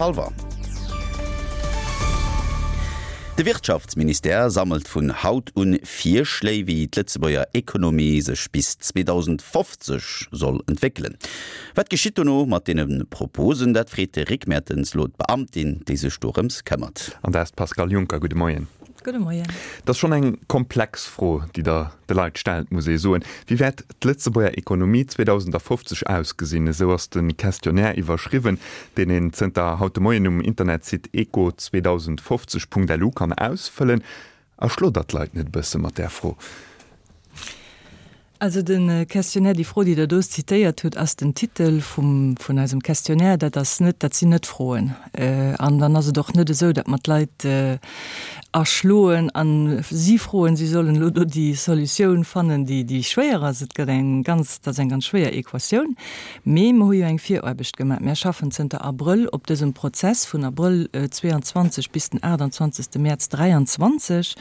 Hallwer. De Wirtschaftsministère sammelt vun haut un Virschléi, wéi d'Lëtzebuerger Ekonomie sech bis 2050 soll entwéckelen. Wat geschitt dono mat deene Proposen? Dat freet de Rick Mertens elo d'Beamtin, déi sech dorëms këmmert. An dat ass d'Pascale Juncker. Gudde Moien. Gudde Moien. Et ass schonn eng komplex Fro, déi Der de Leit stellt, muss ee soen. Wéi wäert d'Lëtzebuerger Ekonomie 2050 ausgesinn? Esou ass de Questionnaire iwwerschriwwen, deen een zënter haut de Moien um Internetsite eco2050.lu kann ausfëllen. Erschlot Der d'Leit net e bësse mat där Fro? Also de Questionnaire, déi Fro, déi Der do zitéiert hutt, ass den Titel vum, vun eisem Questionnaire. Dat ass net, dat sinn net Froen. An dann ass et och net esou, datt mer d'Leit erschloen a si froen, si sollen elo do déi Solutioun fannen, déi, déi schwéier ass. Et gëtt eng ganz, dat ass eng ganz schwéier Equatioun. Mee mer hu jo eng Viraarbecht gemaach. Mär schaffen zënter Abrëll op dësem Prozess, vun Abrëll 22 bis den 28. Mäerz 23.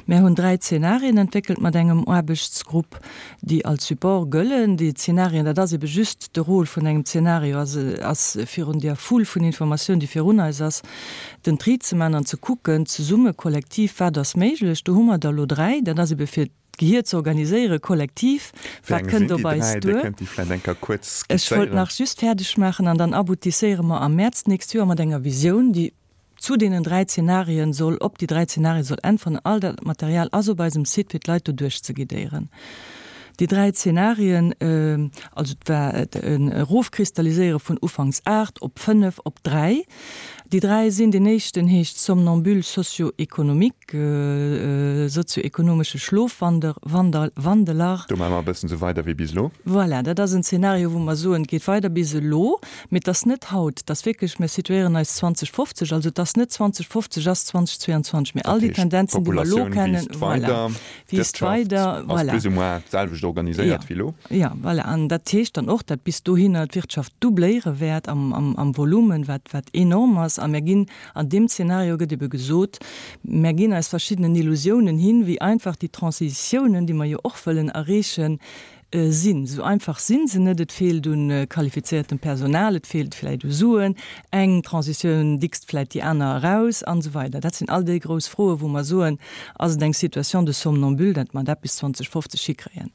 Mär hunn 3 Zenarien entwéckelt mat engem Aarbechtsgrupp, déi als Support gëllen. Déi Zenarien, dat ass ebe just de Rôle vun engem Zenario, ass, ass virun där Foule vun Informatioun, déi virun eis ass, den Tri ze man an ze kucken, zesumme, kollektiv, wat ass méiglech. Do hu mer der elo 3. Dat ass ebe fir d'Gehier ze organiséieren, kollektiv, Wéi wat eng sinn kënnt déi op eis 3? Dir duer. kënnt déi vläicht eng Kéier kuerz Ech wollt skizzéieren. nach just fäerdeg maachen an dann aboutisséiere mer am Mäerz d'nächst Joer mat enger Visioun, déi zu deenen 3 Zenarien soll, op déi 3 Zenarien soll äntweren. All dat Material ass op eisem Site, fir d'Leit do duerchzeguidéieren. Déi 3 Zenarien, also et war en Erofkristalliséiere vun ufanks 8 op 5 op 3. Déi 3 sinn, deen éischten heescht Somnambule socio-économique, sozio-ekonomesche Schlofwander, Wander, Wandeler. Do maache mer e bëssen esou weider wéi bis elo. Voilà, dat ass en Zeenario, wou mer soen, et geet weider bis elo, mee et ass net haut, et ass wierklech, mir situéieren eis 2050, also et ass net 2050 ass 2022, mee all déi Tendenzen, déi mer elo kennen, voilà, wiisst weider, voilà. Ass plus ou moins d'selwecht organiséiert wéi elo. Jo, voilà, an dat heescht dann och, datt bis dohinner d'Wirtschaft doubléiere wäert am, am, am Volumen, wat, wat enorm ass, a mir ginn An deem Zeenario gëtt ebe gesot, Mär ginn eis verschiddenen Illusiounen hin, wéi einfach déi Transitiounen, déi mer jo och wëllen erreechen, sinn. Esou einfach si se net. Et feelt u qualifiziertem Personal, et feelt vläicht u Suen, eng Transitioun dickst vläicht déi aner eraus an esou weider. Dat sinn all déi grouss Froen, wou mer soen, Ass et eng Situation de somnambule, datt mer dat bis 2050 hikréien?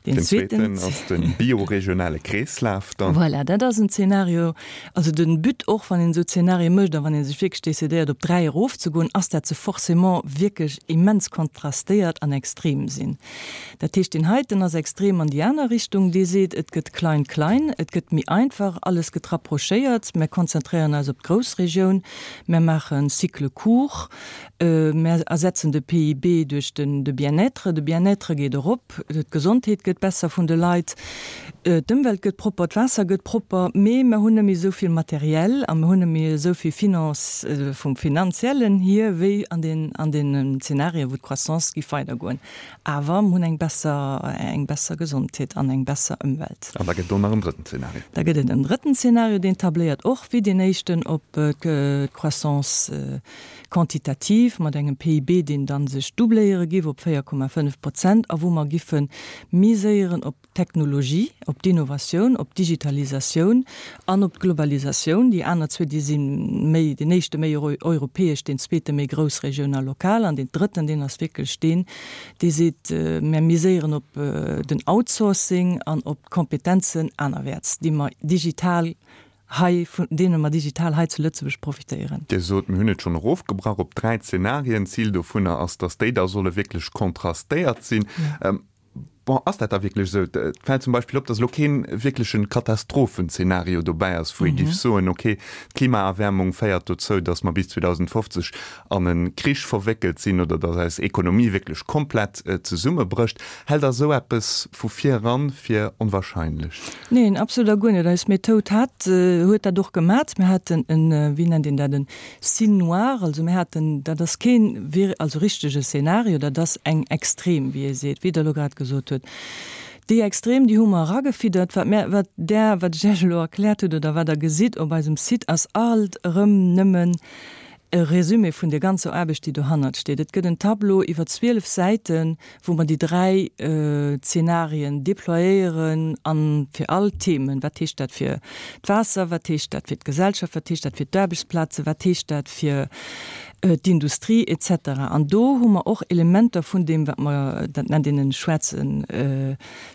Deen zweeten ass de bioregionale Kreeslaf dann. Voilà, dat ass en Zeenario. Also de But och, wann een esou Zeenarie mécht a wann ee sech wierklech decidéiert op 3 erofzegoen, ass dat se forcément wierklech immens kontrastéiert an extrem sinn. Dat heescht, deen heiten ass extrem an déi aner Richtung, dee seet, et gëtt klein klein, et gëtt méi einfach, alles gëtt rapprochéiert, mär konzentréieren eis op d'Groussregioun, mär maache Cycle court, Mär ersetzen de PIB duerch de Bien-être. De Bien-être geet erop, d'Gesondheet gëtt besser vun de Leit, d'Ëmwelt gëtt propper, d'Waasser gëtt propper, mee mer hunn net méi esou vill Materiel a mer hunn net méi esou vill Finance, vum Finanziellen hier, wéi an den, an deenen Zenarien, wou d'Croissance géif weidergoen. Awer mer hunn eng besser, eng besser Gesondheet an eng besser Ëmwelt. An da gëtt et och nach en drëtten Zenario. Da gëtt et en drëtten Zenario, deen tabléiert och wéi deen éischten op d'Croissance quantitativ, mat engem PIB, deen dann sech doubléiere giff op 4,5 Prozent a wou mer giffe miséieren op d'Technologie, op d'Innovatioun, op d'Digitalisatioun an op d'Globalisatioun. Déi aner zwee, déi si méi, deen éischte méi europäesch, deen zweete méi groussregioun a lokal an deen drëtten, deen ass wierklech deen, dee seet, Mer miséieren op den Outsourcing an op d'Kompetenzen anerwäerts, déi mer digital hei, vun deene mer digital hei zu Lëtzebuerg profitéieren. Dir sot, mir hunn et schonn erofgebrach op 3 Zenarien. D'Zil dovunner ass, datt déi da solle wierklech kontrastéiert sinn. Bon, ass dat da wierklech esou? Et fält zum Beispill op, datt elo kee wierkleche Katastrophenzenario dobäi ass, wou ee géif soen, okay, d'Klimaerwäermung féiert dozou, datt mer bis 2050 an e Krich verwéckelt sinn oder datt eis Ekonomie wierklech komplett zesummebrécht. Hält Der esou eppes vu vir eran fir onwahrscheinlech? Neen, absolut a guer net. Eis Methoud hat, huet dat och gemat. Mir haten en, wéi nennt een dat, en Signe noir, also mir haten, dat ass keen wir, also richtege Szenario, dat ass eng Extrem, wéi ee seet, wéi Der elo grad gesot hutt. Déi Extrem, déi hu mer eragefiddert. Wat mär, wat Der, wat ech Iech elo erkläert hutt oder wat Der gesitt op eisem Site, ass alt erëm nëmmen. e Résumé vun der ganzer Aarbecht, déi dohannert steet. Et gëtt en Tableau iwwer 12 Säiten, wou mer déi 3 Zenarien déployéieren a fir all Themen, wat heescht dat fir d'Waasser, wat heescht dat fir d'Gesellschaft, wat heescht dat fir d'Aarbechtsplazen, wat heescht dat fir d'Industrie et cetera. An do hu mer och Elementer vun deem, wat mer, dat nennt een en schwaarze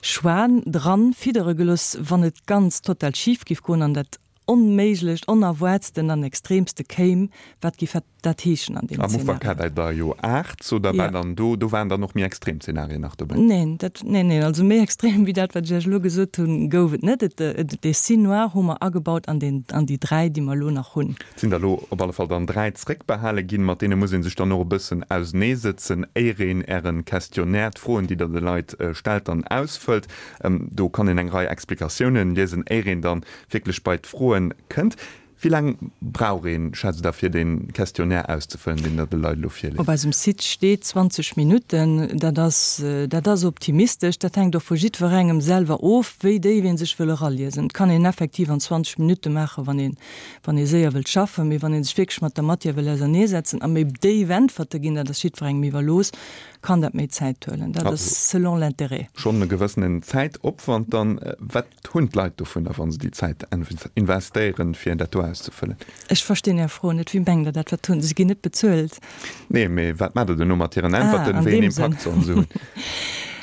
Schwan, dran fiddere gelooss, wann et ganz total schif géif goen an dat Onméiglecht, Onerwaartsten an Extremste kéim, wat géif dat heeschen an deem Am Ufank hat Zeenario? Der der jo 8, sot Der, war dann do, do waren dann och méi extrem Zeenarien nach dobäi? Neen, dat, neen, neen, also méi extrem wéi dat, wat ech Iech elo gesot hunn, gouf et net. Et, et, dee Scene noir hu mer agebaut an deen, an déi 3, déi mer elo nach hunn. Et sinn der elo op alle Fall dann 3 zréckbehale ginn, mat deene muss ee sech dann och e bëssen auseneesëtzen, éier een Äre Questionnaire, d'Froen, déi Der de Leit stellt, dann ausfëllt. Do kann een eng Rei Explikatiounen liesen, éier een dann wierklech bei d'Froen kënnt. Wéi laang brauch een, schätzt Der, fir dee Questionnaire auszefëllen, deen Der de Leit elo virleet? Op eisem Site steet 20 Minutten. Dat ass, dat ass optimistesch. Dat hänkt och vu jiddwerengem selwer of, wéi déif ee sech wëll eraliesen. Et kann een effektiv an 20 Minutte maachen, wann een, wann ee séier wëllt schaffen. Mee wann ee sech wierklech mat der Matière wëll auserneesetzen a méi déif Äntwerte ginn, dat ass jiddwerengem iwwerlooss, kann dat méi Zäit huelen. Dat ass selon l'intérêt. Schonn e gewëssenen Zäitopwand dann. Wat Hunn d'Leit dovunner, wa se déi Zäit investéieren, fir dat do auszefëllen? Ech verstinn Är Fro net. Wéi mengt Der dat? Wat hunn se? Si ginn net bezuelt. Nee, mee wat maacht Der duerno mat hiren Äntwerten? Wéi een Impakt sollen se hunn?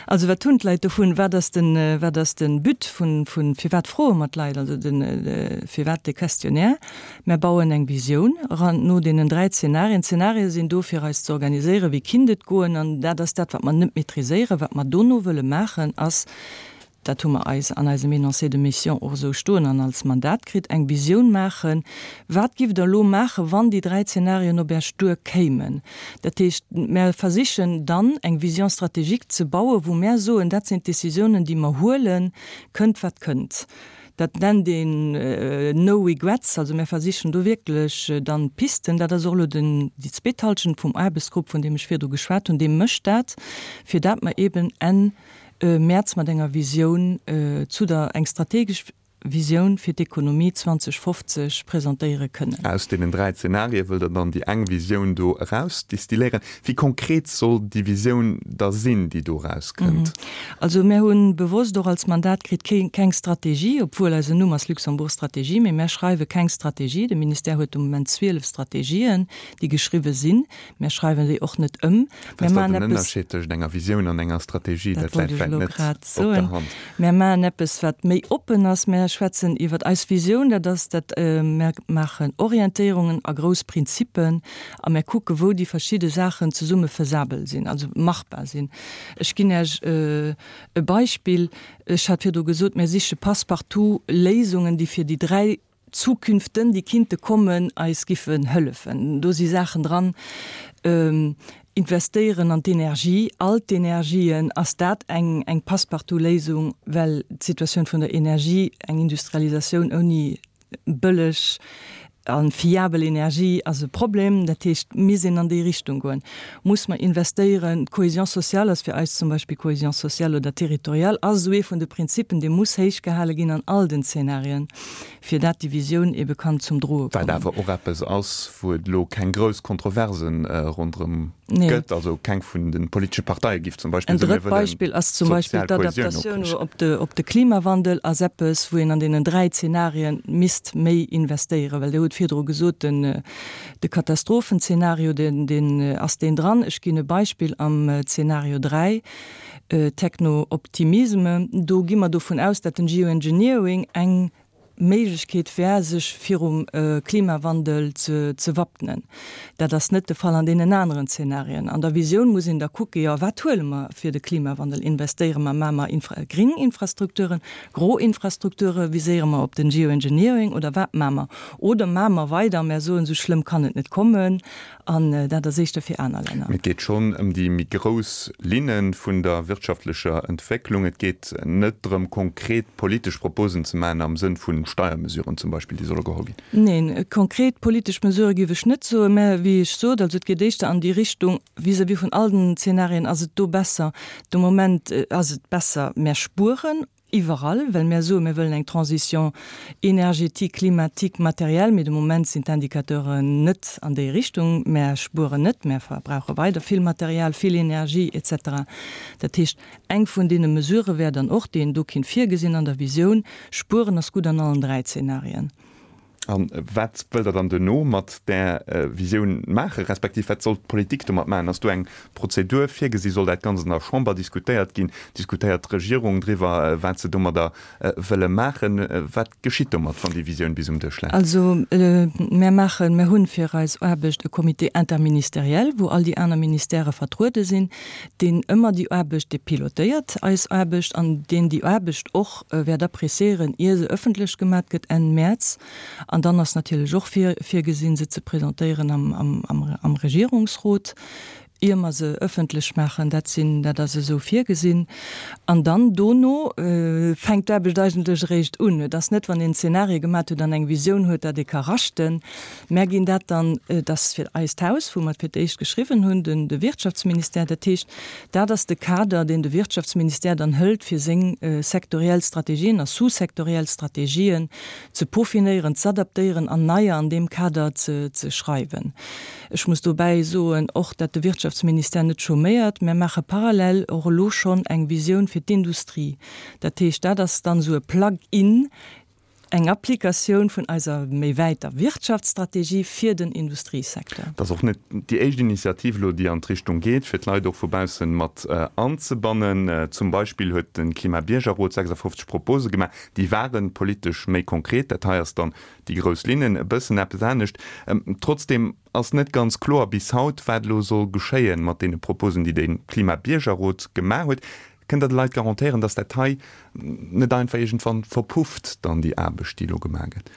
Also wat hunn d'Leit dovun? Wat ass den, wat ass de But vun, vun, firwat froe mer d'Leit? Also den, firwat de Questionnaire? Mär bauen eng Visioun eran no deenen 3 Zenarien. D'Zenarie sinn do fir eis ze organiséieren, wéi kinnt et goen. An dat ass dat, wat mer net maîtriséieren. Wat mer dono wëlle maachen, ass dat hu mer eis an eisem Énoncé de mission och esou stoen an als Mandat kritt, eng Visioun maachen, Wat giff Der elo maachen, wann déi 3 Zenarien op Äech duer kéimen? Dat heescht, mär versichen dann eng Vision stratégique ze bauen, wou mär soen, dat sinn d'Décisiounen, déi mer huelen, kënnt wat kënnt. Dat nennt een no regrets. Also mär versichen do wierklech dann Pisten, dat ass och elo den, déi zweet Halschent vum Aarbechtsgrupp, vun deem ech virdu geschwat hunn, dee mécht dat, fir dat mer eben Enn Mäerz mat enger Visioun zu der, eng strategesch Visioun fir d'Ekonomie 2050 presentéiere kënnen. Aus deenen 3 Zenarie wëllt Der dann déi eng Visioun do erausdistilléieren. Wéi konkret soll déi Visioun da sinn, déi do erauskënnt? Also mär hu bewosst och als Mandat kritt, keng Strategie, obwuel eisen Numm ass Luxembourg Strategie, mee mär schreiwe keng Strategie. De Ministère huet de Moment 12 Strategien, déi geschriwwe sinn. Mär schreiwen déi och net ëm. Mär maachen eppes. Den Ënnerscheed tëschent enger Visioun an enger Strategie, dat läit vläicht net op der Hand. Mär maachen eppes, wat méi oppen ass. Mär schwätzen iwwer eis Visioun, dat ass dat, mär maachen Orientéierungen a grouss Prinzippen a mär kucke wou déi verschidde Saachen zesumme faisabel sinn, also machbar sinn. Ech ginn Iech e Beispill. Ech hat virdru gesot, mär siche passe-partout Léisungen, déi fir déi 3 Zukünften, déi kinnte kommen, eis giffen hëllefen. Do si Saachen dran, investéieren an d'Energie, all d'Energien, ass dat eng, eng Passepartout-Léisung, well d'Situatioun vun der Energie, eng Industrialisatioun ouni bëlleg a fiabel Energie ass e Problem. Dat heescht, misst een an déi Richtung goen. Muss mer investéieren, d'Cohésion sociale ass fir eis zum Beispill, Cohésion sociale oder territoriale ass esou ee vun de Prinzipen, dee muss héichgehale ginn an all den Zeenarien. fir dat déi Visioun ebe kann zum Droe Wat kommen. awer och eppes ass, wou et elo keng grouss Kontroverse ronderëm gëtt. Also keng vun de politesche Parteie giff zum Beispill En soen, mir drëtt wëllen Beispill ass zum Beispill d'sozial Kohäsioun d'Adaptatioun opriichten. op de, op de Klimawandel ass eppes, wou een an deenen 3 Zenarien misst méi investéieren, well Dir hutt virdru gesot, den, de Katastrophenzeenario, deen, deen ass deen dran. Ech ginn e Beispill am Zenario 3, Techno-Optimisme, do gi mer dovun aus, dat den Geoengineering eng Méiglechkeet wär, sech virum Klimawandel ze wappnen. Dat ass net de Fall an deenen aneren Zenarien. An der Visioun muss een da kucken, jo, wat huele mer fir de Klimawandel? Investéiere mer, maache mer Infra-, gring Infrastrukturen, gro Infrastrukture, viséiere mer op den Geoengineering oder wat maache mer? Oder maache mer weider a mer soen, esou schlëmm kann et net kommen An dat ass éischter fir aner Länner. Mee et geet schonn ëm déi méi grouss Linne vun der wirtschaftlecher Entwécklung. Et geet net drëm, konkret politesch Proposen ze maachen am Sënn vu Steiermesuren zum Beispill, déi solle geholl ginn. Neen, konkret politesch Mesurë géif ech net soen. Mä wéi ech sot, also et geet éischter an déi Richtung, vis-à-vis vun all den Zenarien ass et do besser, de Moment ass et besser, mär spueren. Iwwerall, well mär soen, mir wëllen eng Transition énergétique, climatique, matérielle, mee de Moment sinn d'Indicateuren net an déi Richtung. Mär spueren net, mär verbrauche weider vill Material, vill Energie et cetera. Dat heescht, eng vun deene Mesurë wär dann och, déi een do kinnt virgesinn an der Visioun, Spueren ass gutt an allen 3 Zenarien. A wat wëllt Der dann duerno mat där Visioun maachen, respektiv wat soll d'Politik domat maachen? Ass do eng Prozedur virgesi? Soll dat Ganzt an der Chamber diskutéiert ginn? Diskutéiert d'Regierung driwwer, wat se domadder wëlle maachen? Wat geschitt domat, wann déi Visioun bis um Dësch läit? Also mär maachen, mär hunn fir eis Aarbecht e Comité interministériel, wou all déi aner Ministèrë vertruede sinn, deen ëmmer déi Aarbecht, dee pilotéiert eis Aarbecht an deen déi Aarbecht och wäert appréciéieren, ier se ëffentlech gemat gëtt Enn Mäerz. An dann ass natierlech och virgesinn, se ze presentéieren am Regierungsrot, ier mer se ëffentlech maachen. Dat sinn, dat ass esou virgesinn. An dann dono fänkt d'Aarbecht eigentlech eréischt un. Et ass net, wann een Zenarie gemat huet an eng Visioun huet, datt ee ka raschten. Mär ginn dat dann, et ass fir eist Haus, wou mer et fir d'éischt geschriwwen hunn, den de Wirtschaftsministère. Dat heescht, dat ass de Kader, deen de Wirtschaftsministère dann hëlt, fir seng sektoriell Strategien a sous-sektoriell Strategien ze peaufinéieren, z'adaptéieren an neier an deem Kader ze ze schreiwen. Ech muss dobäi soen och, dat de Wirtschaftsministère net chôméiert. Mär maache parallel och elo schonn eng Visioun fir d'Industrie. Dat heescht, dat ass dann esou e Plug-in, Eng Applikatioun vun eiser méi wäiter Wirtschaftsstrategie fir den Industriesecteur. Et ass och net déi éischt Initiativ elo, déi an d'Richtung geet, fir d'Leit och vu bausse mat anzebannen. Zum Beispill huet de Klimabiergerrot 56 Propose gemaach. Déi ware politesch méi konkret. Dat hei ass dann déi grouss Linnen, e bëssen eppes anescht. Trotzdeem ass net ganz kloer bis haut, wat elo soll geschéien mat deene Proposen, déi de Klimabiergerrot gemaach huet. Kënnt Der de Leit garantéieren, datt dat hei net einfach iergendwann verpufft, dann déi Aarbecht, déi elo gemaach gëtt?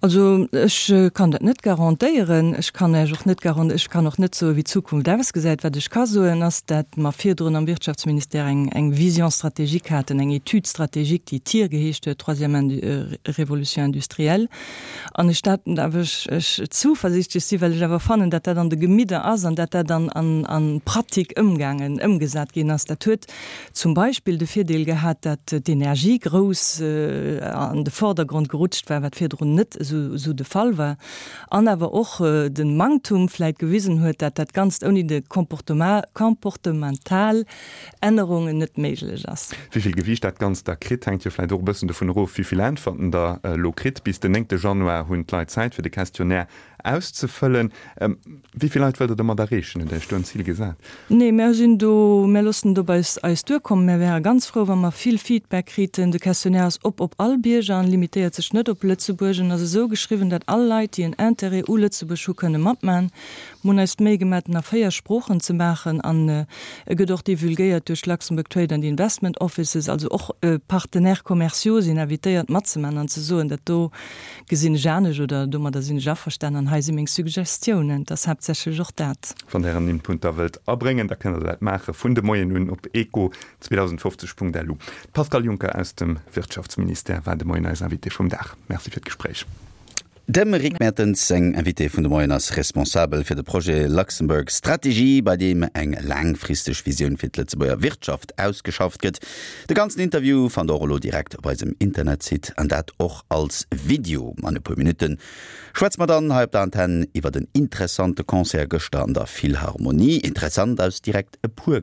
Also ech kann dat net garantéieren. Ech kann Iech och net garan-, ech kann och net soen, wéi d'Zukunft ausgesäit. Wat ech ka soen, ass, dat mer virdrun am Wirtschaftsministère eng, eng Vision stratégique haten, eng Étude stratégique, déi TIR geheescht huet, Troisième Révolution industrielle, an ech dat awer, ech, ech zuversichtlech si, well ech awer fannen, dat dat an de Gemidder ass an dat dat an, an, an Pratik ëmgaangen, ëmgesat ginn ass. Dat huet zum Beispill de Virdeel gehat, dat d'Energie grouss an de Vordergrond gerutscht war, wat virdrun net esou, esou de Fall war, an awer och de Manktum vläit gewisen huet, dat dat Ganzt ouni de Comportement, comportemental Ännerungen net méiglech ass. Wéi vill Gewiicht dat Ganzt da kritt, hänkt jo vläit och e bëssen dovun erof, wéi vill Äntwerten Der elo kritt. Bis den néngte Januar hunn d'Leit Zäit, fir de Questionnaire auszefëllen. Wéi vill Leit wëllt Der domat erreechen? Hutt Der Iech do en Zil gesat? Nee, mär sinn do, mär loossen et op eis eis duerkommen. Mär wäre ganz frou, wa mer vill Feedback kriten. De Questionnaire ass op op all Bierger an limitéiert sech net op Lëtzebuerg. En ass esou geschriwwen, dat all Leit, déi en Intérêt u Lëtzebuerg hu, kënne matman. Mir hunn eis d'Méi gemaach, en a 4 Sproochen ze maachen an e gëtt och divulgéiert duerch d'Luxembourg Trade and Investment Offices. Also och Partenaires commerciaux sinn invitéiert matzemaachen an ze soen, dat do gesinn ech anescht oder domadder sinn ech averstanen an hei si meng Suggestiounen. Et ass haaptsächlech och dat. Wann Der Ären Input da wëllt abréngen, da kënnt Der dat maache vun de Moien un op eco2050.lu. D'Pascale Juncker aus dem Wirtschaftsministère war de Moien eis Invitée vum Dag. Merci fir d'Gespréich. Dem Rick Mertens seng Invitée vun de Moien ass responsabel fir de Projet Luxembourg Strategy, bei deem eng laangfristeg Visioun fir d'Lëtzebuerger Wirtschaft ausgeschafft gëtt. De ganzen Interview fannt der och elo direkt op eisem Internetsite an dat och als Video. An e puer Minutte schwätze mer dann hei op der Antenn iwwert en interessante Concert gëschter an der Philharmonie. Interessant aus direkt e puer Grënn.